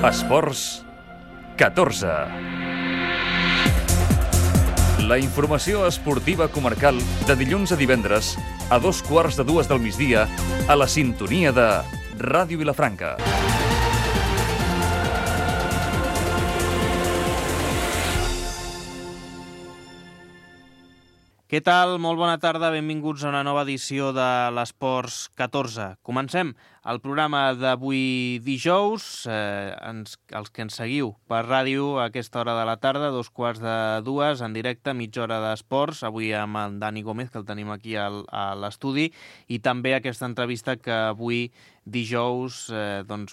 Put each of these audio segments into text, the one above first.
Esports 14. La informació esportiva comarcal de dilluns a divendres a 2:15 del migdia a la sintonia de Ràdio Vilafranca. Què tal? Molt bona tarda, benvinguts a una nova edició de l'Esports 14. Comencem el programa d'avui dijous. Els que ens seguiu per ràdio a aquesta hora de la tarda, 2:15, en directe, mitja hora d'esports, avui amb en Dani Gómez, que el tenim aquí a l'estudi, i també aquesta entrevista que avui dijous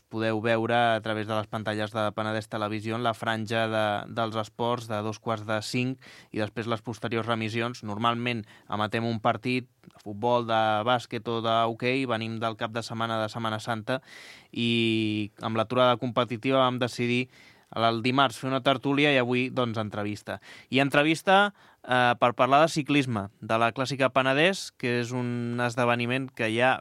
podeu veure a través de les pantalles de Penedès Televisió en la franja dels esports de 2:45 i després les posteriors remissions. Normalment emetem un partit de futbol, de bàsquet o d'hoquei, venim del cap de Setmana Santa i amb l'aturada competitiva vam decidir el dimarts fer una tertúlia i avui entrevista. I entrevista per parlar de ciclisme, de la Clàssica Penedès, que és un esdeveniment que ja,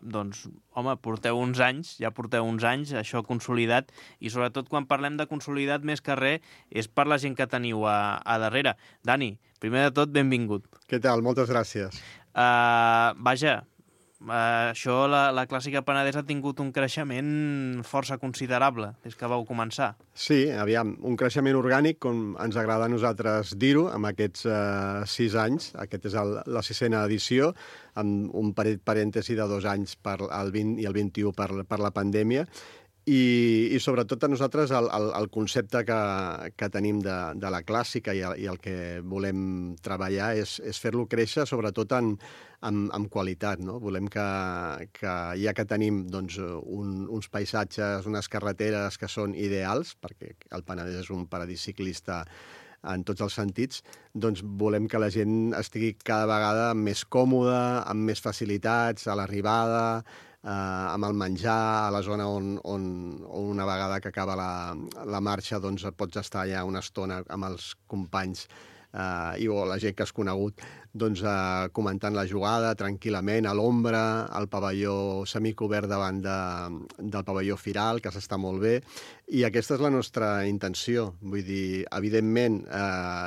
porteu uns anys, això consolidat, i sobretot quan parlem de consolidat més que res és per la gent que teniu a darrere. Dani, primer de tot, benvingut. Què tal? Moltes gràcies. Això, la Clàssica Penedès ha tingut un creixement força considerable des que vau començar. Sí, aviam, un creixement orgànic, com ens agrada a nosaltres dir-ho, amb aquests 6 anys. Aquest és la 6a edició, amb un parèntesi de 2 anys per el 20 i el 21 per la pandèmia. I sobretot a nosaltres el concepte que tenim de la clàssica i el que volem treballar és fer-lo créixer, sobretot amb qualitat, no? Volem que ja que tenim uns paisatges, unes carreteres que són ideals, perquè el Penedès és un paradís ciclista en tots els sentits, volem que la gent estigui cada vegada més còmoda, amb més facilitats a l'arribada, amb el menjar, a la zona on una vegada que acaba la marxa pots estar allà una estona amb els companys o la gent que has conegut comentant la jugada tranquil·lament, a l'ombra, al pavelló semicobert davant del pavelló firal, que s'està molt bé, i aquesta és la nostra intenció. Vull dir, evidentment,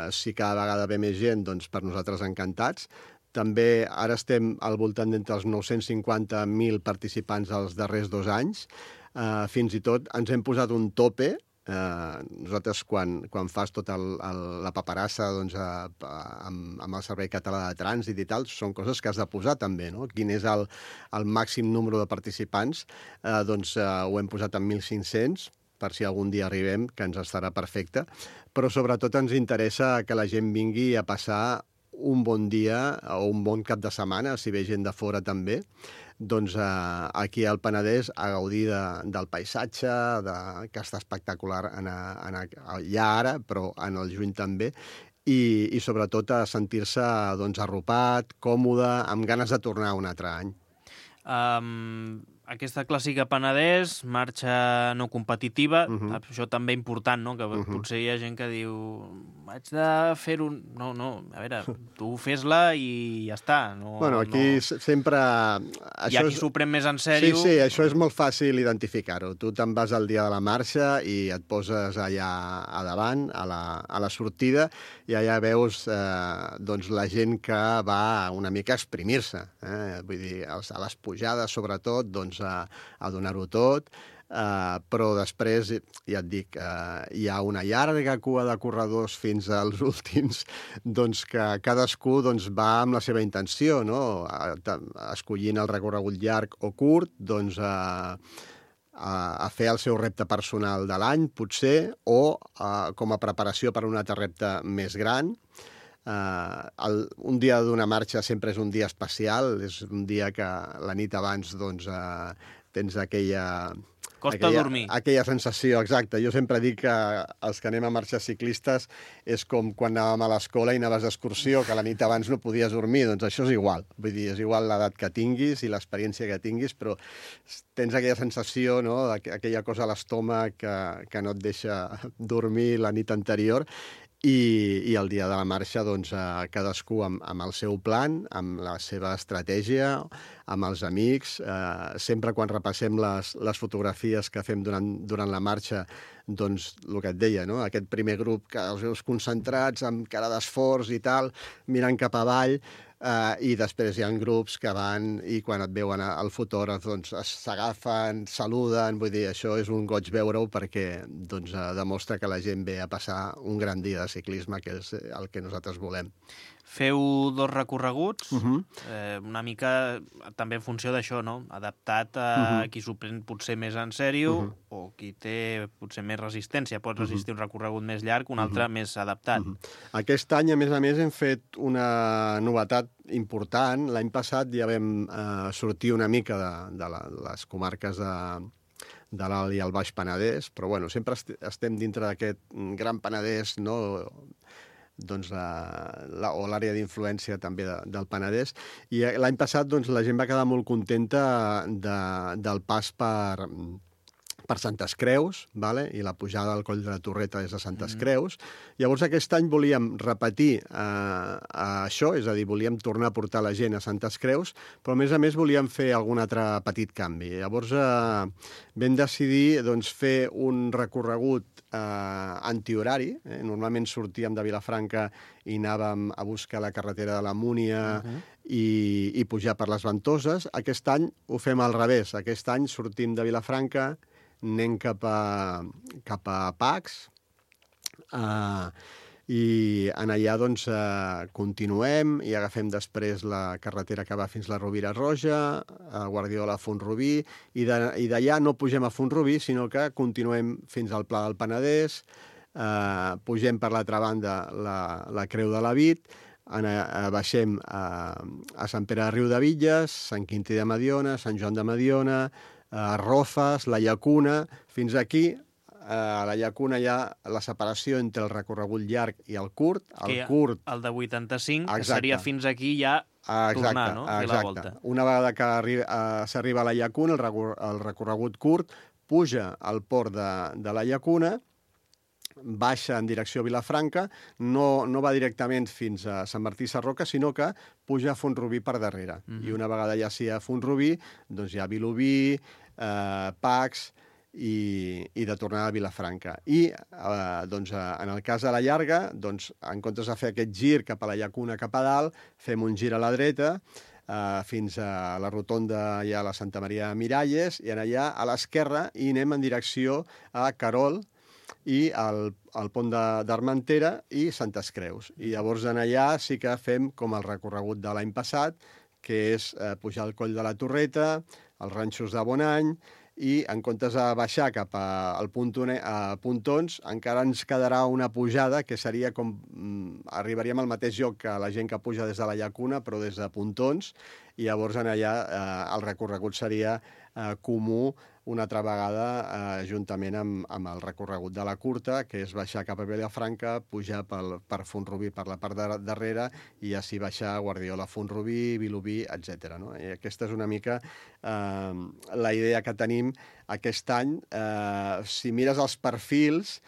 si cada vegada ve més gent, per nosaltres encantats. També ara estem al voltant d'entre els 950.000 participants els darrers 2 anys. Fins i tot ens hem posat un tope. Nosaltres, quan fas tota la paperassa amb el Servei Català de Trànsit i tal, són coses que has de posar també, no? Quin és el màxim número de participants? Ho hem posat en 1.500, per si algun dia arribem, que ens estarà perfecte. Però sobretot ens interessa que la gent vingui a passar un bon dia o un bon cap de setmana, si ve gent de fora també, aquí al Penedès a gaudir del paisatge, que està espectacular ja ara, però en el juny també, i sobretot a sentir-se arropat, còmode, amb ganes de tornar un altre any. Aquesta Clàssica Penedès, marxa no competitiva, això també important, no? Que potser hi ha gent que diu haig de fer-ho... No, a veure, tu fes-la i ja està. Bueno, aquí sempre... I aquí s'ho pren més en sèrio. Sí, això és molt fàcil identificar-ho. Tu te'n vas al dia de la marxa i et poses allà a davant, a la sortida, i allà veus la gent que va una mica a exprimir-se. Vull dir, a les pujades, sobretot, a donar-ho tot, però després, ja et dic, hi ha una llarga cua de corredors fins als últims, que cadascú va amb la seva intenció, no? Escollint el recorregut llarg o curt, a fer el seu repte personal de l'any, potser, o com a preparació per un altre repte més gran. Un dia d'una marxa sempre és un dia especial, és un dia que la nit abans tens aquella Costa dormir. Aquella sensació, exacte. Jo sempre dic que els que anem a marxes ciclistes és com quan anàvem a l'escola i anaves d'excursió, que la nit abans no podies dormir. Doncs això és igual. Vull dir, és igual l'edat que tinguis i l'experiència que tinguis, però tens aquella sensació, no?, aquella cosa a l'estómac que no et deixa dormir la nit anterior. I el dia de la marxa, doncs, cadascú amb el seu plan, amb la seva estratègia, amb els amics. Sempre quan repassem les fotografies que fem durant la marxa, doncs, el que et deia, no? Aquest primer grup que els veus concentrats, amb cara d'esforç i tal, mirant cap avall, i després hi ha grups que van i quan et veuen el fotògraf doncs s'agafen, saluden, vull dir, això és un goig veure-ho perquè doncs, demostra que la gent ve a passar un gran dia de ciclisme, que és el que nosaltres volem. Feu 2 recorreguts, una mica també en funció d'això, no? Adaptat a qui s'ho pren potser més en sèrio o qui té potser més resistència. Pot resistir un recorregut més llarg, un altre més adaptat. Aquest any, a més, hem fet una novetat important. L'any passat ja vam sortir una mica de les comarques de l'Alt i el Baix Penedès, però bueno, sempre estem dintre d'aquest gran Penedès, no?, doncs, o l'àrea d'influència també del Penedès. I l'any passat doncs, la gent va quedar molt contenta del pas per Santes Creus, vale? I la pujada al Coll de la Torreta des de Santes Creus. Llavors aquest any volíem repetir això, és a dir, volíem tornar a portar la gent a Santes Creus, però a més volíem fer algun altre petit canvi. Llavors vam decidir doncs, fer un recorregut antihorari. Normalment sortíem de Vilafranca i anàvem a buscar la carretera de la Múnia i pujar per les Ventoses. Aquest any ho fem al revés. Aquest any sortim de Vilafranca, anem cap a Pacs, i en allà doncs, continuem i agafem després la carretera que va fins la Rovira Roja, a Guardiola, Font-rubí, i d'allà no pugem a Font-rubí, sinó que continuem fins al Pla del Penedès, pugem per l'altra banda la Creu de la Vit, baixem a Sant Pere de Riudebitlles, Sant Quintí de Mediona, Sant Joan de Mediona, Rofes, la Llacuna. Fins aquí, a la Llacuna hi ha la separació entre el recorregut llarg i el curt. El de 85, que seria fins aquí ja tornar, no? Fer la volta. Una vegada que s'arriba a la Llacuna, el recorregut curt puja al port de la Llacuna, baixa en direcció a Vilafranca, no va directament fins a Sant Martí Sarroca, sinó que puja a Font-rubí per darrere. I una vegada ja sigui a Font-rubí, doncs hi ha Vilobí, Pacs i de tornada a Vilafranca. I doncs, en el cas de la llarga, doncs, en comptes de fer aquest gir cap a la Llacuna cap a dalt, fem un gir a la dreta, fins a la rotonda ja a la Santa Maria de Miralles, i en allà a l'esquerra i anem en direcció a Querol, i al pont d'Armentera i Santes Creus. I llavors en allà sí que fem com el recorregut de l'any passat, que és pujar al Coll de la Torreta, als ranxos de Bonany, i en comptes de baixar cap al Pontons, encara ens quedarà una pujada que seria com... arribaríem al mateix lloc que la gent que puja des de la Llacuna, però des de Pontons, i llavors en allà el recorregut seria comú una altra vegada juntament amb el recorregut de la curta, que és baixar cap a Vilafranca, pujar per Font-rubí per la part darrere i així baixar a Guardiola, Font-rubí, Vilobí, etc. No? I aquesta és una mica la idea que tenim aquest any. Si mires els perfils,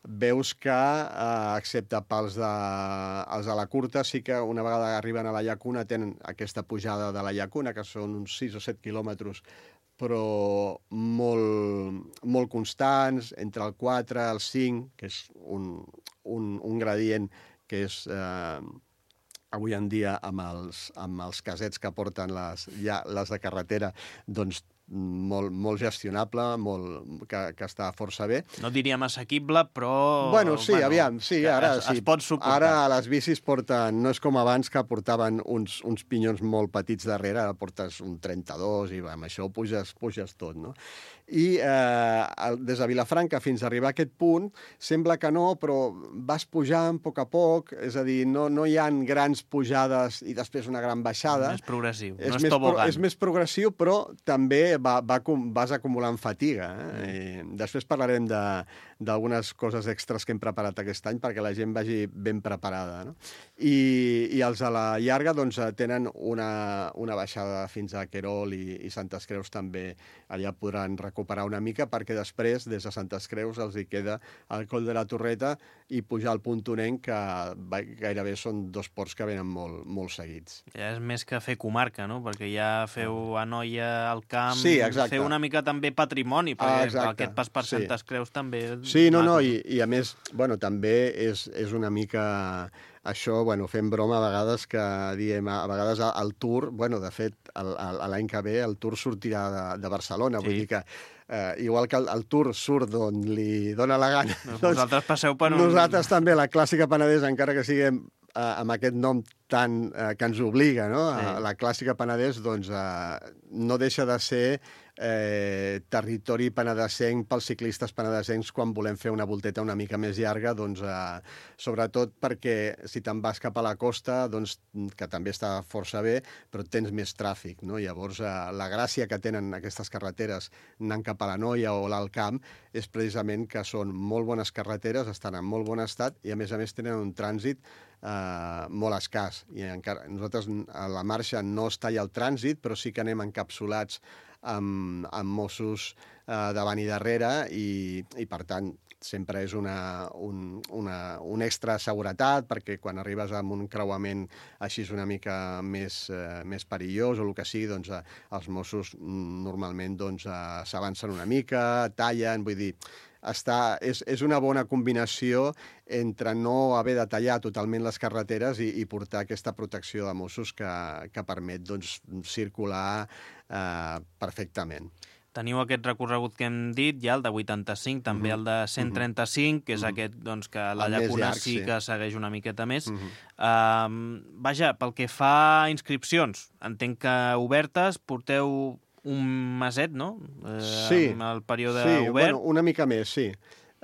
veus que, excepte pels de la curta, sí que una vegada arriben a la Llacuna tenen aquesta pujada de la Llacuna, que són uns 6 o 7 quilòmetres, però molt constants, entre el 4 i el 5, que és un gradient que és avui en dia amb els casets que porten les de carretera, doncs molt gestionable, que està força bé. No diríem assequible, però... Bueno, sí, aviam, sí, ara es pot suportar. Ara les bicis porten, no és com abans que portaven uns pinyons molt petits darrere, ara portes un 32 i amb això puges tot, no? I des de Vilafranca fins a arribar a aquest punt, sembla que no, però vas pujant a poc, és a dir, no hi ha grans pujades i després una gran baixada. És més progressiu, no és tobogan. És més progressiu, però també vas acumulant fatiga. I després parlarem d'algunes coses extras que hem preparat aquest any perquè la gent vagi ben preparada, no? I els a la llarga doncs, tenen una baixada fins a Querol i Santes Creus també. Allà podran recuperar una mica perquè després, des de Santes Creus, els hi queda el Coll de la Torreta i pujar al Puntonenc, que gairebé són 2 ports que venen molt seguits. Ja és més que fer comarca, no? Perquè ja feu Anoia al camp, sí, feu una mica també patrimoni, perquè aquest pas per Santes Creus també... Sí, i a més, també és una mica... Això, fem broma a vegades que diem, a vegades el Tour, de fet, l'any que ve el Tour sortirà de Barcelona, vull dir que igual que el Tour surt d'on li dóna la gana. Vosaltres passeu per un... Nosaltres també, la Clàssica Penedès, encara que siguem amb aquest nom tan que ens obliga, no? La Clàssica Penedès, doncs, no deixa de ser territori penedesenc pels ciclistes penedesencs quan volem fer una volteta una mica més llarga, doncs, sobretot perquè si te'n vas cap a la costa, doncs, que també està força bé, però tens més tràfic, no? Llavors, la gràcia que tenen aquestes carreteres anant cap a l'Anoia o l'Alt Camp és precisament que són molt bones carreteres, estan en molt bon estat i, a més tenen un trànsit molt escàs. I encara, nosaltres a la marxa no es talla el trànsit, però sí que anem encapsulats amb Mossos davant i darrere i per tant sempre és un extra seguretat perquè quan arribes a un creuament així és una mica més perillós o el que sigui, doncs els Mossos normalment s'avancen una mica, tallen, vull dir, és una bona combinació entre no haver de tallar totalment les carreteres i portar aquesta protecció de Mossos que permet circular perfectament. Teniu aquest recorregut que hem dit, ja el de 85, també el de 135, que és aquest que la Llacuna sí que segueix una miqueta més. Vaja, pel que fa a inscripcions, entenc que obertes, porteu un meset, no? Sí. Amb el període obert. Sí, una mica més, sí.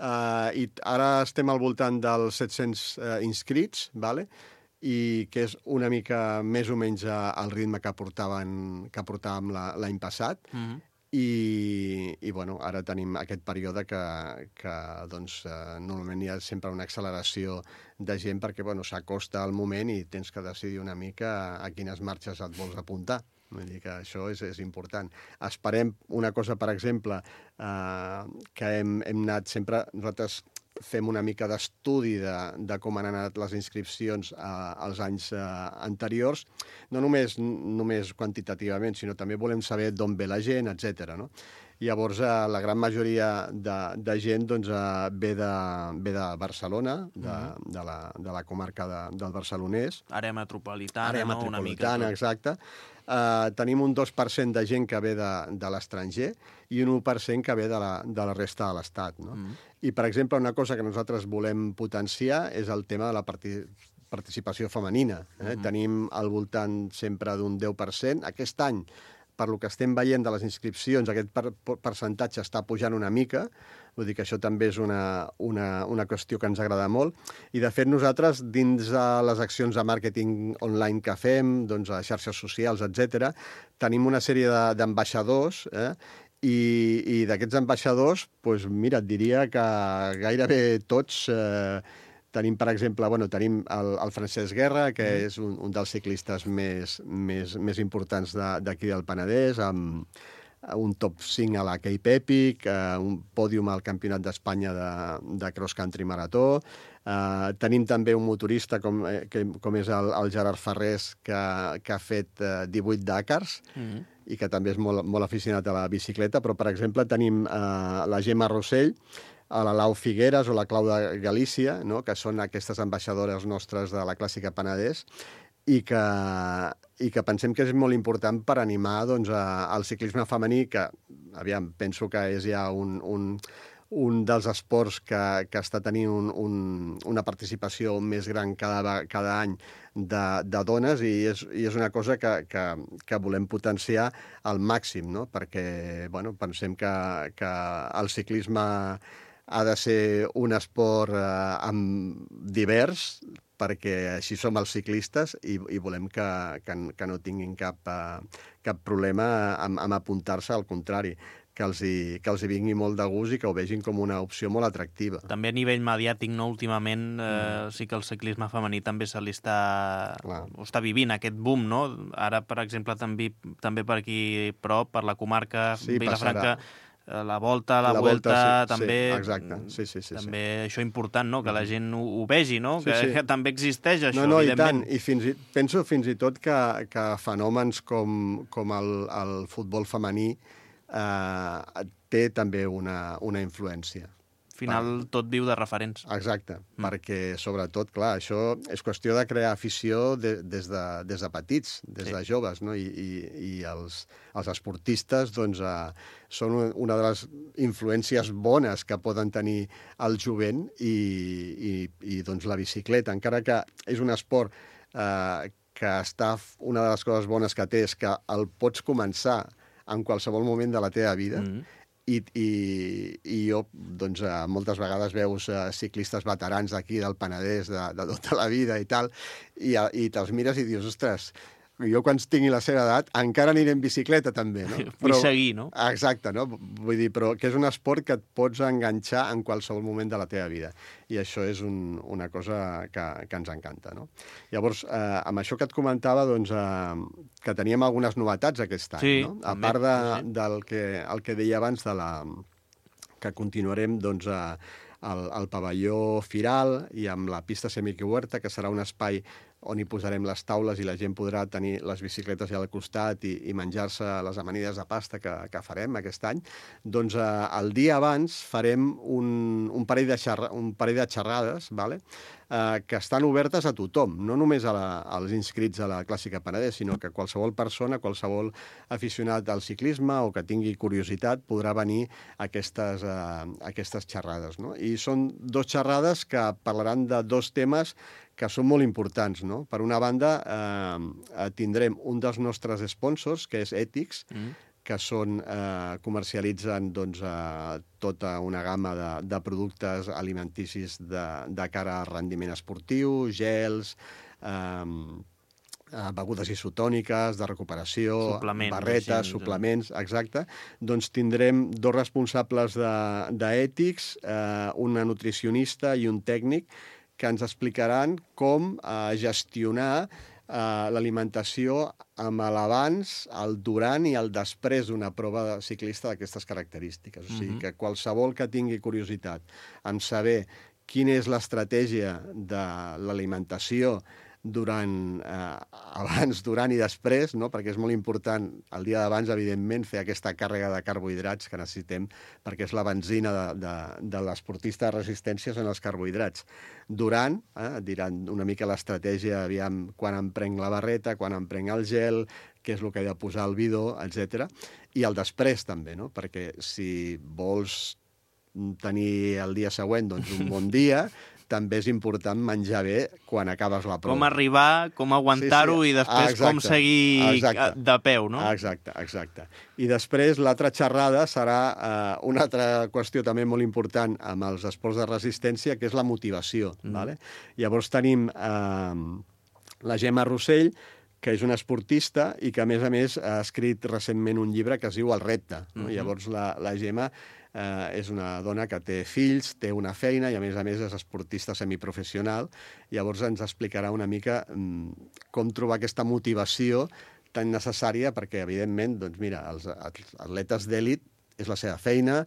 I ara estem al voltant dels 700 inscrits, vale? I que és una mica més o menys el ritme que portàvem l'any passat. I ara tenim aquest període que normalment hi ha sempre una acceleració de gent perquè s'acosta el moment i tens que decidir una mica a quines marxes et vols apuntar. Vull dir que això és important. Esperem una cosa, per exemple, que hem anat sempre... Nosaltres fem una mica d'estudi de com han anat les inscripcions als anys anteriors, no només quantitativament, sinó també volem saber d'on ve la gent, etc. No? Llavors, la gran majoria de gent ve de Barcelona, de la comarca del Barcelonès. Àrea metropolitana, Àrea no? Una mica. Exacte. Tenim un 2% de gent que ve de l'estranger i un 1% que ve de la resta de l'Estat. No? I, per exemple, una cosa que nosaltres volem potenciar és el tema de la participació femenina. Tenim al voltant sempre d'un 10%. Aquest any, per lo que estem veient de les inscripcions, aquest percentatge està pujant una mica, vull dir que això també és una qüestió que ens agrada molt. I, de fet, nosaltres, dins de les accions de màrqueting online que fem, a xarxes socials, etc., tenim una sèrie d'ambaixadors, i d'aquests ambaixadors, mira, et diria que gairebé tots... Tenim, per exemple, tenim el Francesc Guerra, que és un dels ciclistes més importants d'aquí del Penedès, amb un top 5 a la Cape Epic, un pòdium al Campionat d'Espanya de Cross Country Marató. Tenim també un motorista com és el Gerard Ferrés, que ha fet 18 Dakars, i que també és molt aficionat a la bicicleta, però, per exemple, tenim la Gemma Rossell, a la Lau Figueres o la Clau de Galícia, no? Que són aquestes ambaixadores nostres de la Clàssica Penedès, i que pensem que és molt important per animar el ciclisme femení, que, penso que és ja un dels esports que està tenint una participació més gran cada any de dones, i és una cosa que volem potenciar al màxim, no? Perquè pensem que el ciclisme ha de ser un esport divers, perquè així som els ciclistes i volem que no tinguin cap problema amb apuntar-se, al contrari, que els hi vingui molt de gust i que ho vegin com una opció molt atractiva. També a nivell mediàtic, no, últimament, sí que el ciclisme femení també se li està vivint aquest boom, no? Ara, per exemple, també per aquí prop, per la comarca Vilafranca, la Volta, la Vuelta, també... Sí, exacte, sí. També això important, no?, que la gent ho vegi, no?, que també existeix això, no, evidentment. I tant, penso fins i tot que fenòmens com el futbol femení té també una influència. Al final tot viu de referents. Exacte, perquè sobretot, clar, això és qüestió de crear afició des de petits, des de joves, no? I els esportistes doncs, són una de les influències bones que poden tenir el jovent i doncs, la bicicleta, encara que és un esport que una de les coses bones que té és que el pots començar en qualsevol moment de la teva vida, i jo, doncs, moltes vegades veus ciclistes veterans d'aquí, del Penedès, de tota la vida i tal, i te'ls mires i dius, ostres, jo quan tingui la seva edat encara aniré en bicicleta també, no? Vull seguir, no? Exacte, no? Vull dir, però que és un esport que et pots enganxar en qualsevol moment de la teva vida, i això és una cosa que ens encanta, no? Llavors, amb això que et comentava, doncs, que teníem algunes novetats aquest any, no? A part del que deia abans, que continuarem, doncs, al pavelló Firal i amb la pista semicoberta, que serà un espai on hi posarem les taules i la gent podrà tenir les bicicletes allà al costat i menjar-se les amanides de pasta que farem aquest any. Doncs el dia abans farem un parell de xerrades, vale? Que estan obertes a tothom, no només als inscrits a la Clàssica Penedès, sinó que qualsevol persona, qualsevol aficionat al ciclisme o que tingui curiositat podrà venir a aquestes xerrades, no? I són 2 xerrades que parlaran de 2 temes que són molt importants, no? Per una banda, tindrem un dels nostres sponsors, que és Ethics, que comercialitzen doncs, tota una gamma de productes alimenticis de cara al rendiment esportiu, gels, begudes isotòniques, de recuperació, barretes, suplements, exacte. Doncs tindrem 2 responsables d'Ethics, una nutricionista i un tècnic, que ens explicaran com gestionar l'alimentació amb l'abans, el durant i el després d'una prova ciclista d'aquestes característiques. O sigui, que qualsevol que tingui curiositat en saber quina és l'estratègia de l'alimentació abans, durant i després, no? Perquè és molt important el dia d'abans, evidentment, fer aquesta càrrega de carbohidrats que necessitem, perquè és la benzina de l'esportista de resistència, són els carbohidrats. Durant, diran una mica l'estratègia, aviam, quan em prenc la barreta, quan em prenc el gel, què és el que he de posar al bidó, etc. I el després també, no? Perquè si vols tenir el dia següent doncs, un bon dia, també és important menjar bé quan acabes la prova. Com arribar, com aguantar-ho i després com seguir de peu, no? Exacte. I després l'altra xerrada serà una altra qüestió també molt important amb els esports de resistència, que és la motivació. Vale? Llavors tenim la Gemma Rossell, que és una esportista i que, a més, ha escrit recentment un llibre que es diu El repte. No? Llavors la Gemma és una dona que té fills, té una feina i, a més, és esportista semiprofessional. Llavors ens explicarà una mica com trobar aquesta motivació tan necessària perquè, evidentment, doncs, mira, els atletes d'èlit és la seva feina,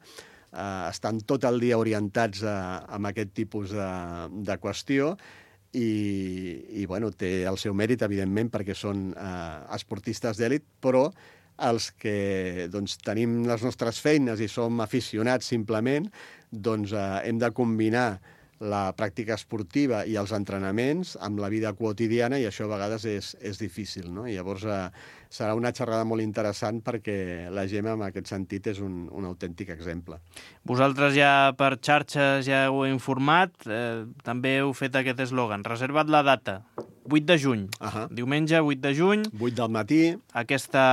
estan tot el dia orientats amb aquest tipus de qüestió i bueno, té el seu mèrit, evidentment, perquè són esportistes d'èlit, però els que doncs, tenim les nostres feines i som aficionats simplement, doncs hem de combinar la pràctica esportiva i els entrenaments amb la vida quotidiana i això a vegades és difícil, no? I llavors serà una xerrada molt interessant perquè la Gemma en aquest sentit és un autèntic exemple. Vosaltres ja per xarxes ja ho heu informat, també heu fet aquest eslògan, reservat la data, 8 de juny, diumenge 8 de juny, 8 del matí, aquesta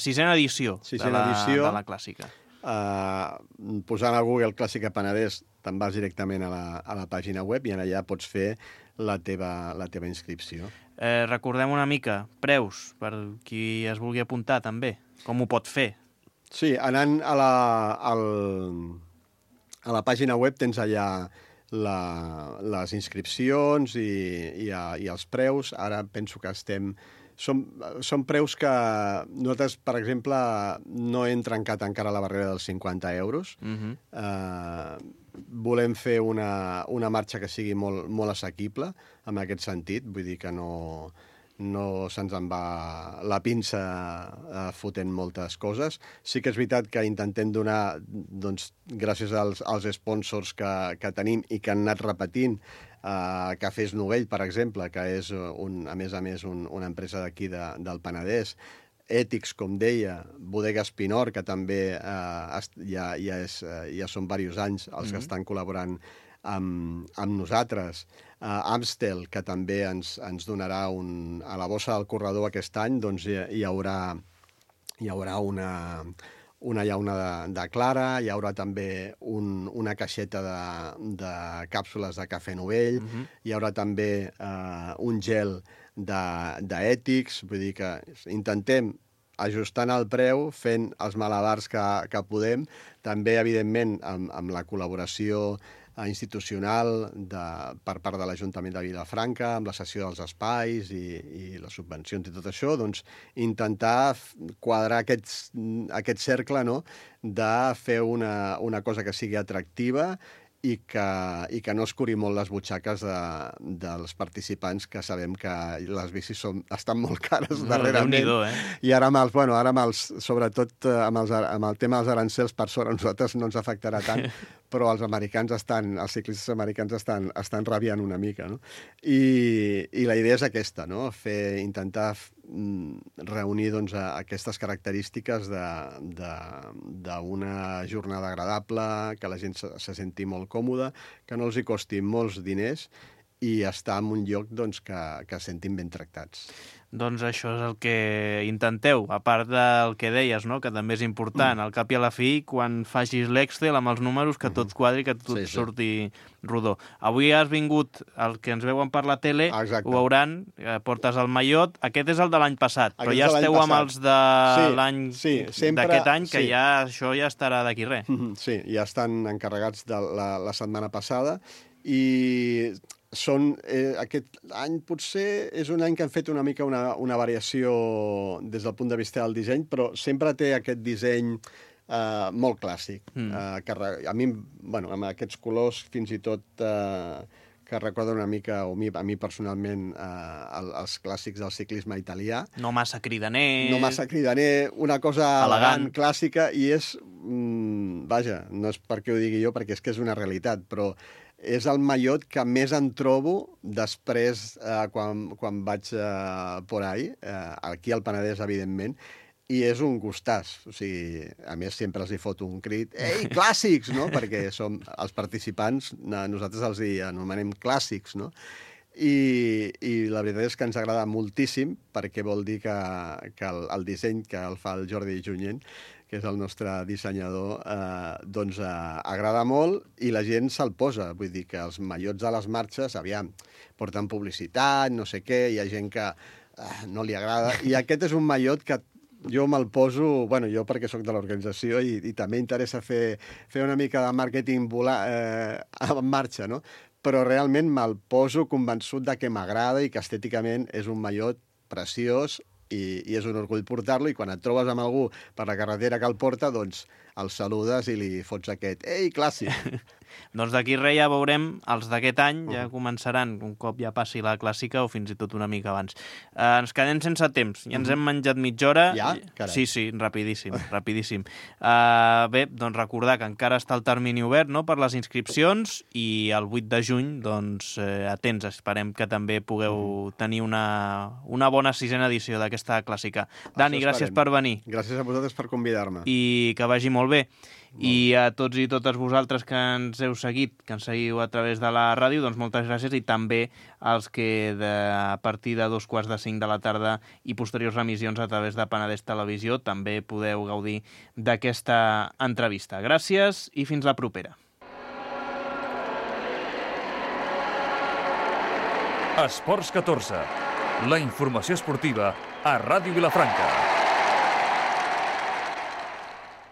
sisena edició de la Clàssica. posant a Google Clàssica Penedès te'n vas directament a la pàgina web i allà pots fer la teva inscripció. Recordem una mica, preus, per qui es vulgui apuntar també, com ho pot fer? Sí, anant a la pàgina web tens allà les inscripcions i els preus. Ara penso que són preus que nosaltres, per exemple, no hem trencat encara la barrera dels 50 euros. Volem fer una marxa que sigui molt, molt assequible en aquest sentit, vull dir que no se'ns en va la pinça fotent moltes coses. Sí que és veritat que intentem donar, doncs, gràcies als sponsors que tenim i que han anat repetint, Cafès Novell, per exemple, que és, a més, una empresa d'aquí del Penedès, Ètics, com deia, Bodegas Pinor, que també ja són diversos anys els que estan col·laborant amb nosaltres, Amstel, que també ens donarà a la bossa del corredor aquest any, doncs hi haurà una llauna de clara, hi haurà també una caixeta de càpsules de cafè Novell, hi haurà també un gel d'Ètics, vull dir que intentem ajustant el preu, fent els malabars que podem, també, evidentment, amb la col·laboració institucional per part de l'Ajuntament de Vilafranca, amb la cessió dels espais i les subvencions i tot això, doncs intentar quadrar aquest cercle, no?, de fer una cosa que sigui atractiva i que no escuri molt les butxaques dels participants, que sabem que les bicis estan molt cares darrerament. I ara sobretot amb el tema dels arancels, per sort, a nosaltres no ens afectarà tant, però els ciclistes americans estan rabiant una mica, no? I la idea és aquesta, no?, intentar reunir, doncs, aquestes característiques d'una jornada agradable, que la gent se senti molt còmoda, que no els hi costi molts diners i estar en un lloc, doncs, que sentin ben tractats. Doncs això és el que intenteu, a part del que deies, no?, que també és important, al cap i a la fi, quan facis l'Excel amb els números, que tot quadri, que tot surti rodó. Avui has vingut, el que ens veuen per la tele, ho veuran, portes el mallot, aquest és el de l'any passat, però ja esteu amb els de l'any d'aquest any, que això ja estarà d'aquí res. Sí, ja estan encarregats de la setmana passada i aquest any potser és un any que han fet una mica una variació des del punt de vista del disseny, però sempre té aquest disseny molt clàssic. A mi, amb aquests colors, fins i tot que recorden una mica, o a mi personalment, els clàssics del ciclisme italià. No massa cridaner. No massa cridaner, una cosa elegant, clàssica, i és, vaja, no és perquè ho digui jo, perquè és que és una realitat, però és el mallot que més en trobo després, quan vaig por ahí, aquí al Penedès, evidentment, i és un gustàs. O sigui, a més, sempre els hi foto un crit, ei, clàssics, no?, perquè som els participants, nosaltres els hi anomenem clàssics, no?, i la veritat és que ens agrada moltíssim, perquè vol dir que el disseny que el fa el Jordi Junyent, que és el nostre dissenyador, doncs agrada molt i la gent se'l posa. Vull dir que els mallots de les marxes, aviam, porten publicitat, no sé què, hi ha gent que no li agrada, i aquest és un mallot que jo me'l poso, jo perquè sóc de l'organització i també interessa fer una mica de màrqueting en marxa, no? Però realment me'l poso convençut de que m'agrada i que estèticament és un mallot preciós i és un orgull portar-lo, i quan et trobes amb algú per la carretera que el porta, doncs el saludes i li fots aquest ei, clàssic. Doncs d'aquí res ja veurem els d'aquest any, ja començaran un cop ja passi la clàssica o fins i tot una mica abans. Ens quedem sense temps, ja ens hem menjat mitja hora. Ja? Sí, rapidíssim. Bé, doncs recordar que encara està el termini obert, no?, per les inscripcions, i el 8 de juny, doncs, atents, esperem que també pugueu tenir una bona sisena edició d'aquesta clàssica. Dani, gràcies per venir. Gràcies a vosaltres per convidar-me. I que vagi molt bé. I a tots i totes vosaltres que ens heu seguit, que ens seguiu a través de la ràdio, doncs moltes gràcies, i també als que a partir de 2:45 de la tarda i posteriors remissions a través de Penedès Televisió també podeu gaudir d'aquesta entrevista. Gràcies i fins la propera. Esports 14, la informació esportiva a Ràdio Vilafranca.